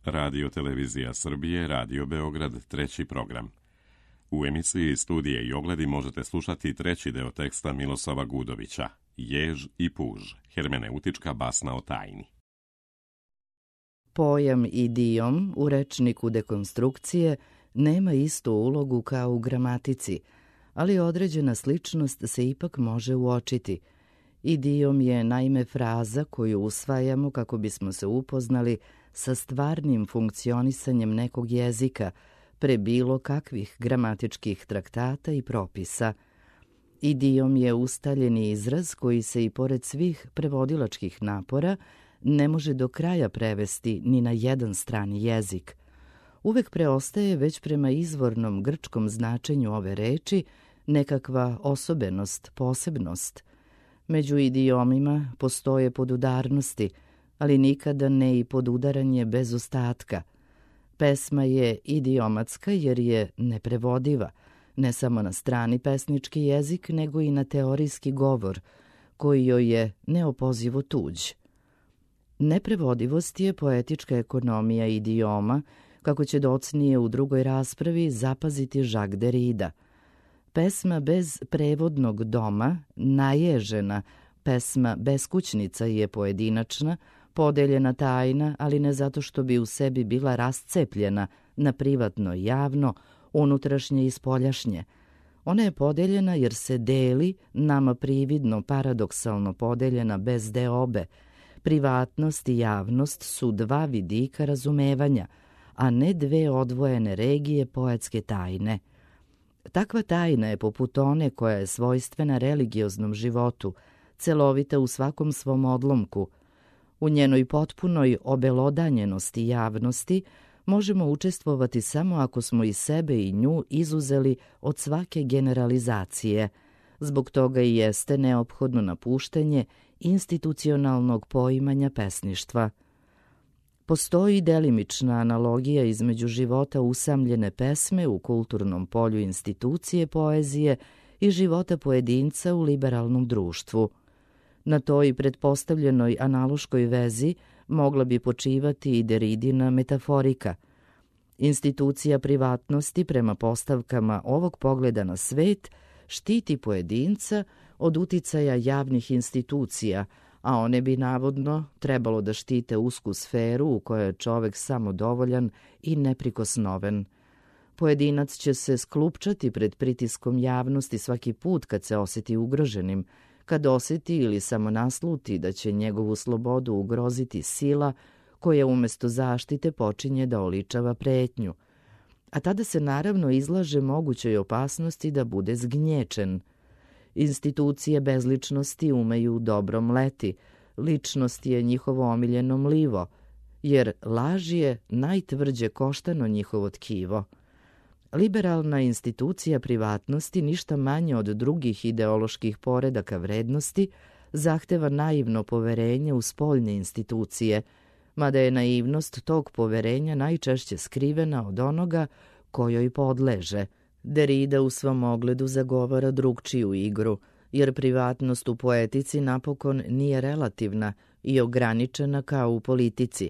Radio Televizija Srbije, Radio Beograd, treći program. U emisiji Studije i ogledi možete slušati treći deo teksta Miloslava Gudovića, Jež i puž, hermeneutička basna o tajni. Pojam idiom u rečniku dekonstrukcije nema istu ulogu kao u gramatici, ali određena sličnost se ipak može uočiti. Idiom je naime fraza koju usvajamo kako bismo se upoznali sa stvarnim funkcionisanjem nekog jezika pre bilo kakvih gramatičkih traktata i propisa. Idiom je ustaljeni izraz koji se i pored svih prevodilačkih napora ne može do kraja prevesti ni na jedan strani jezik. Uvek preostaje već prema izvornom grčkom značenju ove reči nekakva osobenost, posebnost. Među idiomima postoje podudarnosti, ali nikada ne i podudaranje bez ostatka. Pesma je idiomatska jer je neprevodiva, ne samo na strani pesnički jezik, nego i na teorijski govor, koji joj je neopozivo tuđ. Neprevodivost je poetička ekonomija idioma, kako će docnije u drugoj raspravi zapaziti Jacques Derrida. Pesma bez prevodnog doma, naježena, pesma beskućnica je pojedinačna, podeljena tajna, ali ne zato što bi u sebi bila rascepljena na privatno i javno, unutrašnje i spoljašnje. Ona je podeljena jer se deli, nama prividno, paradoksalno podeljena bez deobe. Privatnost i javnost su dva vidika razumevanja, a ne dve odvojene regije poetske tajne. Takva tajna je poput one koja je svojstvena religioznom životu, celovita u svakom svom odlomku. U njenoj potpunoj obelodanjenosti javnosti možemo učestvovati samo ako smo i sebe i nju izuzeli od svake generalizacije. Zbog toga i jeste neophodno napuštanje institucionalnog poimanja pesništva. Postoji delimična analogija između života usamljene pesme u kulturnom polju institucije poezije i života pojedinca u liberalnom društvu. Na toj pretpostavljenoj analoškoj vezi mogla bi počivati i Derridina metaforika. Institucija privatnosti prema postavkama ovog pogleda na svet štiti pojedinca od uticaja javnih institucija, a one bi navodno trebalo da štite usku sferu u kojoj je čovek samodovoljan i neprikosnoven. Pojedinac će se sklupčati pred pritiskom javnosti svaki put kad se osjeti ugroženim, kad osjeti ili samo nasluti da će njegovu slobodu ugroziti sila koja umjesto zaštite počinje da oličava pretnju. A tada se naravno izlaže mogućoj opasnosti da bude zgnječen. Institucije bezličnosti umeju dobro mleti, ličnost je njihovo omiljeno mlivo, jer laž je najtvrđe koštano njihovo tkivo. Liberalna institucija privatnosti, ništa manje od drugih ideoloških poredaka vrednosti, zahteva naivno poverenje u spoljne institucije, mada je naivnost tog poverenja najčešće skrivena od onoga kojoj podleže. Derrida u svom ogledu zagovara drugčiju igru, jer privatnost u poetici napokon nije relativna i ograničena kao u politici.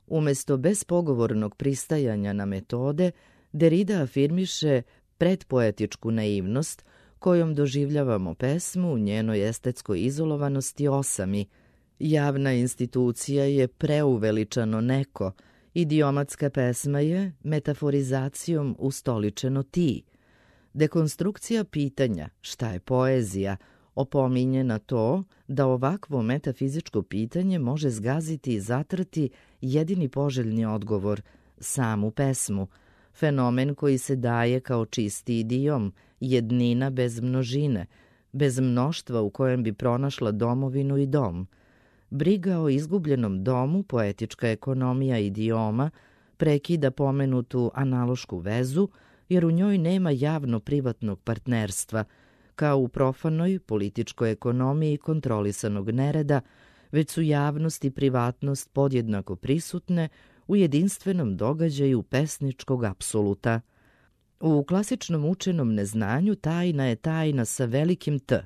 Umesto bespogovornog pristajanja na metode, Derrida afirmiše predpoetičku naivnost kojom doživljavamo pesmu u njenoj estetskoj izolovanosti osami. Javna institucija je preuveličano neko, idiomatska pesma je metaforizacijom ustoličeno ti. Dekonstrukcija pitanja šta je poezija opominje na to da ovakvo metafizičko pitanje može zgaziti i zatrti jedini poželjni odgovor, samu pesmu, fenomen koji se daje kao čisti idiom, jednina bez množine, bez mnoštva u kojem bi pronašla domovinu i dom. Briga o izgubljenom domu, poetička ekonomija idioma, prekida pomenutu analošku vezu, jer u njoj nema javno-privatnog partnerstva, kao u profanoj političkoj ekonomiji kontrolisanog nereda, već su javnost i privatnost podjednako prisutne u jedinstvenom događaju pesničkog apsoluta. U klasičnom učenom neznanju tajna je tajna sa velikim T,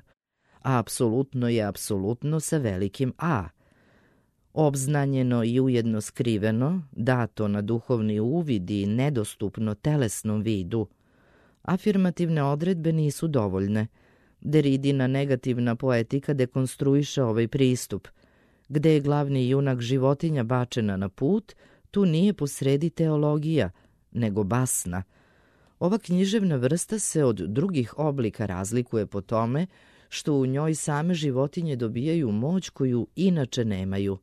a apsolutno je apsolutno sa velikim A. obznanjeno i ujedno skriveno, dato na duhovni uvid i nedostupno telesnom vidu. Afirmativne odredbe nisu dovoljne. Deridina negativna poetika dekonstruiše ovaj pristup. Gde je glavni junak životinja bačena na put, tu nije posredi teologija, nego basna. Ova književna vrsta se od drugih oblika razlikuje po tome što u njoj same životinje dobijaju moć koju inače nemaju.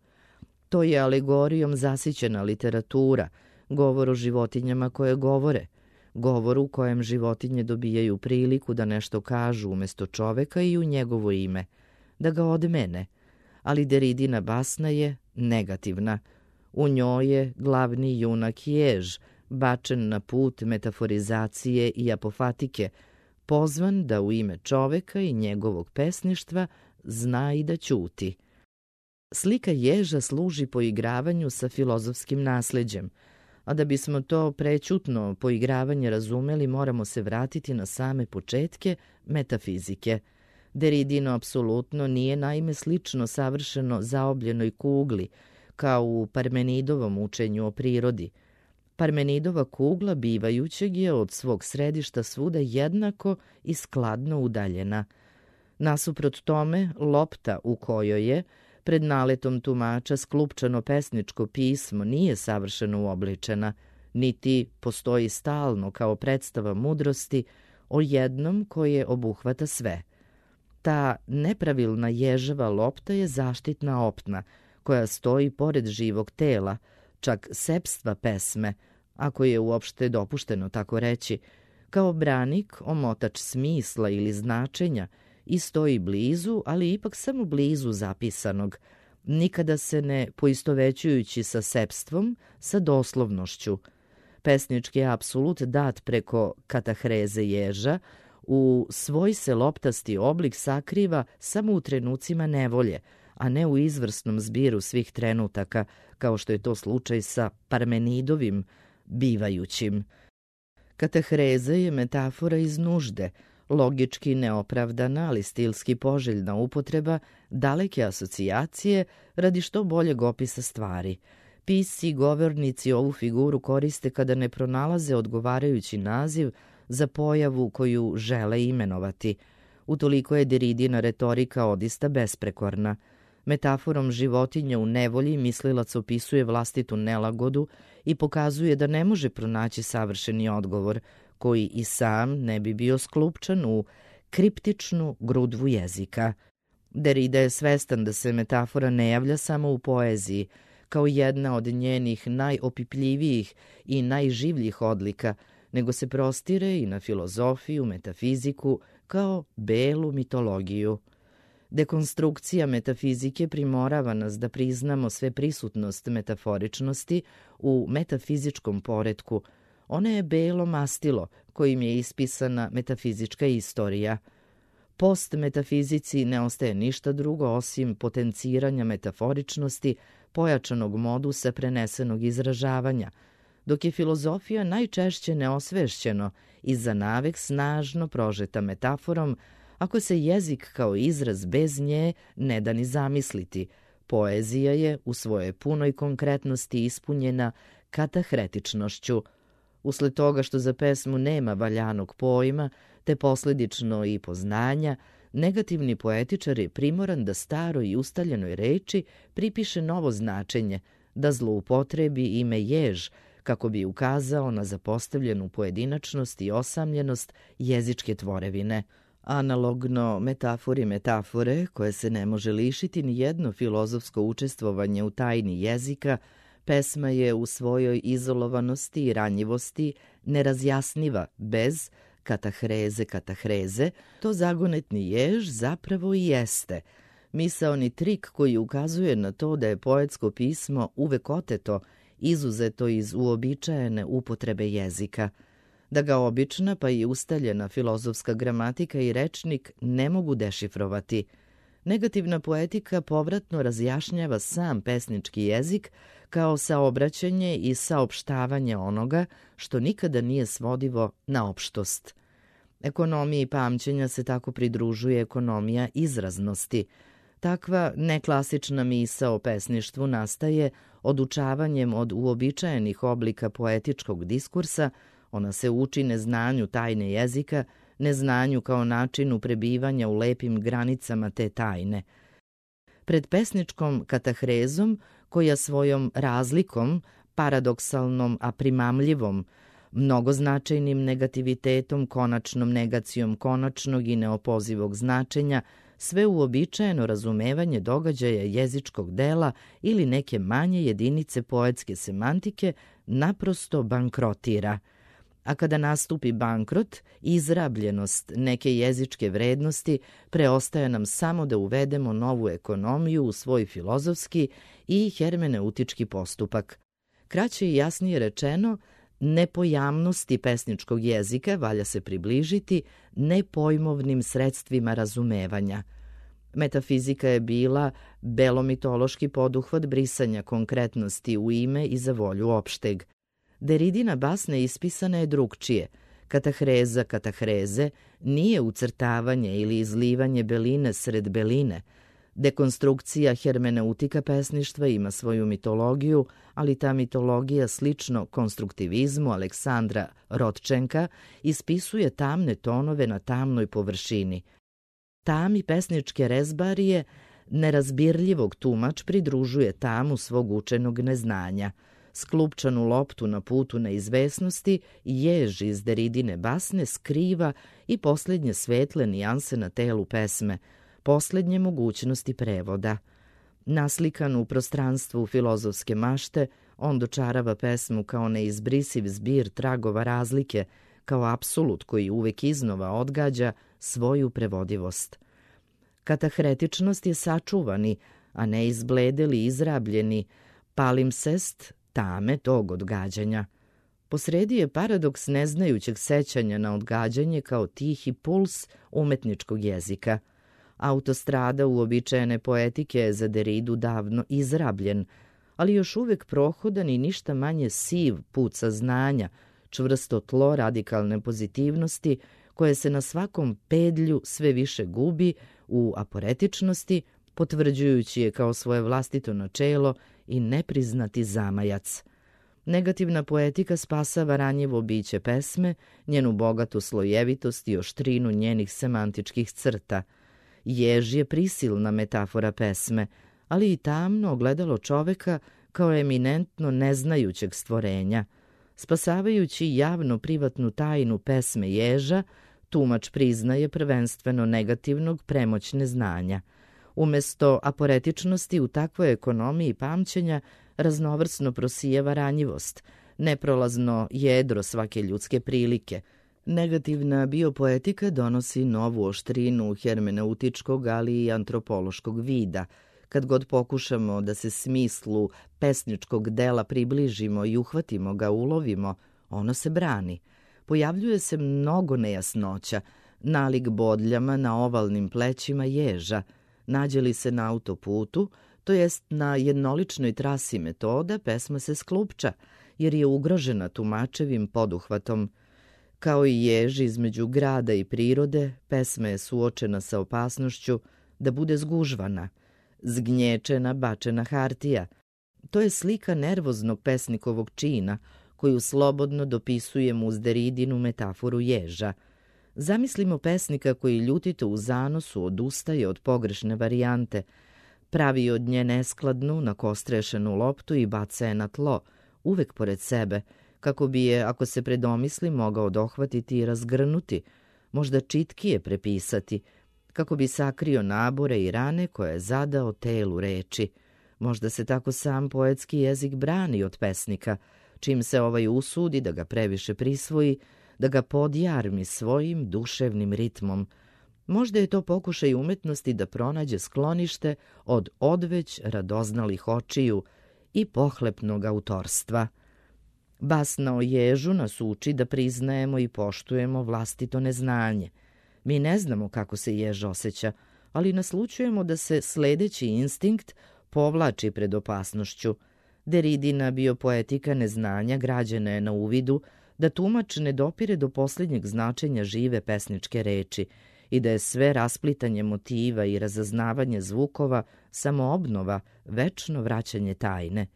To je alegorijom zasićena literatura, govor o životinjama koje govore, govor u kojem životinje dobijaju priliku da nešto kažu umjesto čoveka i u njegovo ime, da ga odmene, ali Deridina basna je negativna. U njoj je glavni junak jež, bačen na put metaforizacije i apofatike, pozvan da u ime čoveka i njegovog pesništva zna i da ćuti. Slika ježa služi poigravanju sa filozofskim nasleđem, a da bismo to prećutno poigravanje razumeli, moramo se vratiti na same početke metafizike. Deridino apsolutno nije naime slično savršeno zaobljenoj kugli, kao u Parmenidovom učenju o prirodi. Parmenidova kugla bivajućeg je od svog središta svuda jednako i skladno udaljena. Nasuprot tome, lopta u kojoj je, pred naletom tumača, sklupčano pesničko pismo nije savršeno uobličena, niti postoji stalno kao predstava mudrosti o jednom koje obuhvata sve. Ta nepravilna ježeva lopta je zaštitna opna, koja stoji pored živog tela, čak sepstva pesme, ako je uopšte dopušteno tako reći, kao branik, omotač smisla ili značenja, i stoji blizu, ali ipak samo blizu zapisanog, nikada se ne poistovećujući sa sepstvom, sa doslovnošću. Pesnički apsolut dat preko katahreze ježa u svoj se loptasti oblik sakriva samo u trenucima nevolje, a ne u izvrsnom zbiru svih trenutaka, kao što je to slučaj sa Parmenidovim bivajućim. Katahreza je metafora iz nužde, logički neopravdana, ali stilski poželjna upotreba daleke asocijacije radi što boljeg opisa stvari. Pisci i govornici ovu figuru koriste kada ne pronalaze odgovarajući naziv za pojavu koju žele imenovati. Utoliko je Deridina retorika odista besprekorna. Metaforom životinja u nevolji mislilac opisuje vlastitu nelagodu i pokazuje da ne može pronaći savršeni odgovor, koji i sam ne bi bio sklupčan u kriptičnu grudvu jezika. Derida je svestan da se metafora ne javlja samo u poeziji, kao jedna od njenih najopipljivijih i najživljih odlika, nego se prostire i na filozofiju, metafiziku, kao belu mitologiju. Dekonstrukcija metafizike primorava nas da priznamo sve prisutnost metaforičnosti u metafizičkom poretku. Ona je belo mastilo kojim je ispisana metafizička istorija. Post metafizici ne ostaje ništa drugo osim potenciranja metaforičnosti, pojačanog modusa prenesenog izražavanja, dok je filozofija najčešće neosvešćeno i za navek snažno prožeta metaforom, ako se jezik kao izraz bez nje ne da ni zamisliti. Poezija je u svojoj punoj konkretnosti ispunjena katahretičnošću. Usled toga što za pesmu nema valjanog pojma, te posledično i poznanja, negativni poetičar je primoran da staroj i ustaljenoj reči pripiše novo značenje, da zloupotrebi ime jež, kako bi ukazao na zapostavljenu pojedinačnost i osamljenost jezičke tvorevine. Analogno metafori metafore, koje se ne može lišiti ni jedno filozofsko učestvovanje u tajni jezika, pesma je u svojoj izolovanosti i ranjivosti nerazjasniva bez katahreze, to zagonetni jež zapravo i jeste. Misaoni trik koji ukazuje na to da je poetsko pismo uvek oteto, izuzeto iz uobičajene upotrebe jezika, da ga obična pa i ustaljena filozofska gramatika i rečnik ne mogu dešifrovati. Negativna poetika povratno razjašnjava sam pesnički jezik kao saobraćanje i saopštavanje onoga što nikada nije svodivo na opštost. Ekonomiji pamćenja se tako pridružuje ekonomija izraznosti. Takva neklasična misao o pesništvu nastaje odučavanjem od uobičajenih oblika poetičkog diskursa, ona se uči neznanju tajne jezika, neznanju kao načinu prebivanja u lepim granicama te tajne. Pred pesničkom katahrezom, koja svojom razlikom, paradoksalnom a primamljivom, mnogoznačajnim negativitetom, konačnom negacijom konačnog i neopozivog značenja, sve uobičajeno razumevanje događaja jezičkog dela ili neke manje jedinice poetske semantike naprosto bankrotira. A kada nastupi bankrot, izrabljenost neke jezičke vrednosti, preostaje nam samo da uvedemo novu ekonomiju u svoj filozofski i hermeneutički postupak. Kraće i jasnije rečeno, nepojamnosti pesničkog jezika valja se približiti nepojmovnim sredstvima razumevanja. Metafizika je bila belomitološki poduhvat brisanja konkretnosti u ime i za volju opšteg. Deridina basne ispisana je drugčije. Katahreza katahreze nije ucrtavanje ili izlivanje beline sred beline. Dekonstrukcija hermeneutika pesništva ima svoju mitologiju, ali ta mitologija slično konstruktivizmu Aleksandra Rodčenka ispisuje tamne tonove na tamnoj površini. Tami pesničke rezbarije nerazbirljivog tumač pridružuje tamu svog učenog neznanja. Sklupčanu loptu na putu neizvesnosti jež iz Deridine basne skriva i posljednje svetle nijanse na telu pesme, posljednje mogućnosti prevoda. Naslikan u prostranstvu filozofske mašte, on dočarava pesmu kao neizbrisiv zbir tragova razlike, kao apsolut koji uvek iznova odgađa svoju prevodivost. Katahretičnost je sačuvani, a ne izbledeli izrabljeni, palimpsest tame tog odgađanja. Posredi je paradoks neznajućeg sećanja na odgađanje kao tihi puls umetničkog jezika. Autostrada uobičajene poetike je za Deridu davno izrabljen, ali još uvek prohodan i ništa manje siv put saznanja, čvrsto tlo radikalne pozitivnosti, koje se na svakom pedlju sve više gubi u aporetičnosti, potvrđujući je kao svoje vlastito načelo i nepriznati zamajac. Negativna poetika spasava ranjivo biće pesme, njenu bogatu slojevitost i oštrinu njenih semantičkih crta. Jež je prisilna metafora pesme, ali i tamno ogledalo čoveka kao eminentno neznajućeg stvorenja. Spasavajući javno privatnu tajnu pesme ježa, tumač priznaje prvenstveno negativnog premoć neznanja. Umesto aporetičnosti u takvoj ekonomiji pamćenja raznovrsno prosijeva ranjivost, neprolazno jedro svake ljudske prilike. Negativna biopoetika donosi novu oštrinu hermeneutičkog, ali i antropološkog vida. Kad god pokušamo da se smislu pesničkog dela približimo i uhvatimo ga, ulovimo, ono se brani. Pojavljuje se mnogo nejasnoća, nalik bodljama na ovalnim plećima ježa. Nađe li se na autoputu, to jest na jednoličnoj trasi metoda, pesma se sklupča, jer je ugrožena tumačevim poduhvatom. Kao i jež između grada i prirode, pesma je suočena sa opasnošću da bude zgužvana, zgnječena, bačena hartija. To je slika nervoznog pesnikovog čina, koju slobodno dopisujemo uz Deridinu metaforu ježa. Zamislimo pesnika koji ljutito u zanosu odustaje od pogrešne varijante, pravi od nje neskladnu, nakostrešenu loptu i baca je na tlo, uvek pored sebe, kako bi je, ako se predomisli, mogao dohvatiti i razgrnuti, možda čitkije prepisati, kako bi sakrio nabore i rane koje je zadao telu reči. Možda se tako sam poetski jezik brani od pesnika, čim se ovaj usudi da ga previše prisvoji, da ga podjarmi svojim duševnim ritmom. Možda je to pokušaj umetnosti da pronađe sklonište od odveć radoznalih očiju i pohlepnog autorstva. Basna o ježu nas uči da priznajemo i poštujemo vlastito neznanje. Mi ne znamo kako se jež osjeća, ali naslućujemo da se sledeći instinkt povlači pred opasnošću. Deridina biopoetika neznanja građena je na uvidu da tumač ne dopire do posljednjeg značenja žive pesničke reči i da je sve rasplitanje motiva i razaznavanje zvukova samo obnova, večno vraćanje tajne.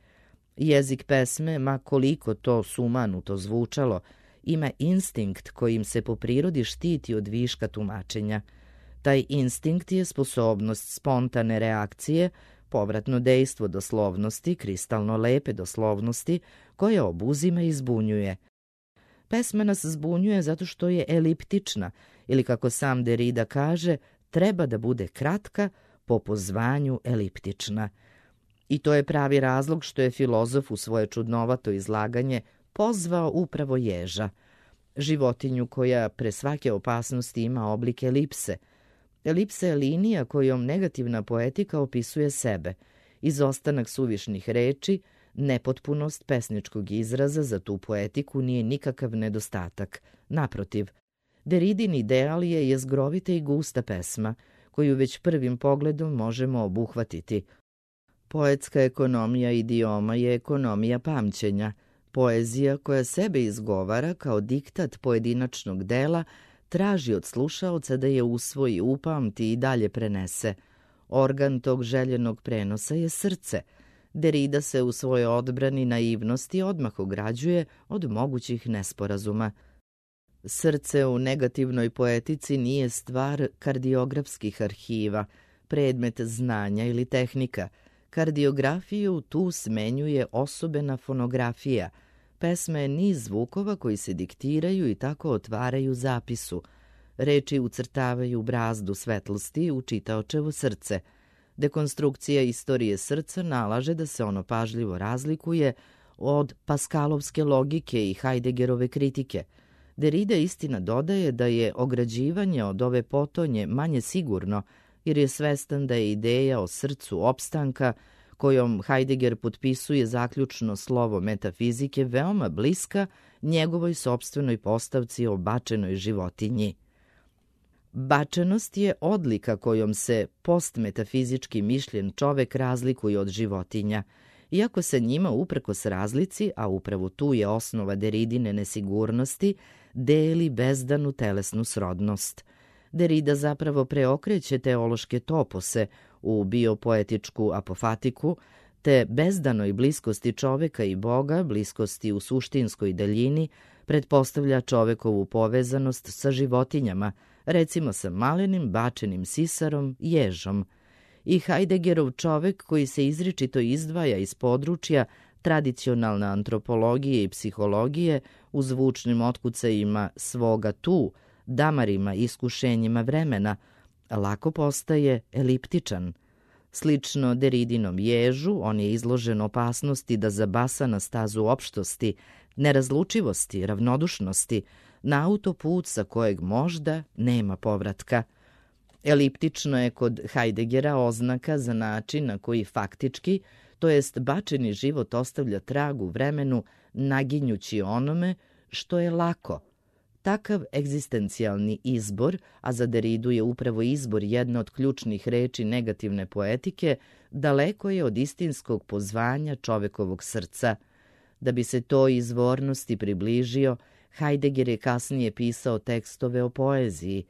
Jezik pesme, ma koliko to sumanuto zvučalo, ima instinkt kojim se po prirodi štiti od viška tumačenja. Taj instinkt je sposobnost spontane reakcije, povratno dejstvo doslovnosti, kristalno lepe doslovnosti, koja obuzima i zbunjuje. Pesma nas zbunjuje zato što je eliptična, ili kako sam Derrida kaže, treba da bude kratka, po pozvanju eliptična. I to je pravi razlog što je filozof u svoje čudnovato izlaganje pozvao upravo ježa, životinju koja pre svake opasnosti ima oblik elipse. Elipsa je linija kojom negativna poetika opisuje sebe, izostanak suvišnih reči, nepotpunost pesničkog izraza za tu poetiku nije nikakav nedostatak. Naprotiv, Derridin ideal je jezgrovita i gusta pesma, koju već prvim pogledom možemo obuhvatiti. Poetska ekonomija idioma je ekonomija pamćenja. Poezija koja sebe izgovara kao diktat pojedinačnog dela traži od slušaoca da je usvoji, upamti i dalje prenese. Organ tog željenog prenosa je srce. Derrida se u svojoj odbrani naivnosti odmah ograđuje od mogućih nesporazuma. Srce u negativnoj poetici nije stvar kardiografskih arhiva, predmet znanja ili tehnika. Kardiografiju tu smenjuje osobena fonografija. Pesma je niz zvukova koji se diktiraju i tako otvaraju zapisu. Reči ucrtavaju brazdu svetlosti u čitaočevo srce. Dekonstrukcija istorije srca nalaže da se ono pažljivo razlikuje od Paskalovske logike i Heideggerove kritike. Derrida istina dodaje da je ograđivanje od ove potonje manje sigurno, jer je svestan da je ideja o srcu opstanka, kojom Heidegger potpisuje zaključno slovo metafizike, veoma bliska njegovoj sopstvenoj postavci o bačenoj životinji. Bačenost je odlika kojom se postmetafizički mišljen čovek razlikuje od životinja, iako se njima uprkos razlici, a upravo tu je osnova Derridine nesigurnosti, deli bezdanu telesnu srodnost. Derrida zapravo preokreće teološke topose u biopoetičku apofatiku, te bezdanoj bliskosti čoveka i Boga, bliskosti u suštinskoj daljini, pretpostavlja čovekovu povezanost sa životinjama, recimo sa malenim bačenim sisarom, ježom. I Heideggerov čovek koji se izričito izdvaja iz područja tradicionalne antropologije i psihologije u zvučnim otkucajima svoga tu, damarima i iskušenjima vremena, lako postaje eliptičan. Slično Derridinom ježu, on je izložen opasnosti da zabasa na stazu opštosti, nerazlučivosti, ravnodušnosti, na autoput sa kojeg možda nema povratka. Eliptično je kod Heideggera oznaka za način na koji faktički, to jest bačeni život ostavlja trag u vremenu, naginjući onome što je lako. Takav egzistencijalni izbor, a za Derridu je upravo izbor jedna od ključnih reči negativne poetike, daleko je od istinskog pozvanja čovekovog srca. Da bi se toj izvornosti približio, Heidegger je kasnije pisao tekstove o poeziji.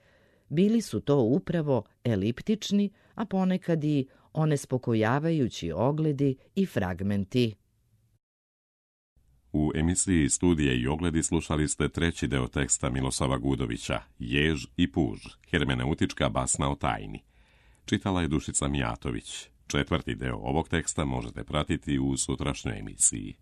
Bili su to upravo eliptični, a ponekad i onespokojavajući ogledi i fragmenti. U emisiji Studije i ogledi slušali ste treći deo teksta Miloslava Gudovića, Jež i puž, hermeneutička basna o tajni. Čitala je Dušica Mijatović. Četvrti deo ovog teksta možete pratiti u sutrašnjoj emisiji.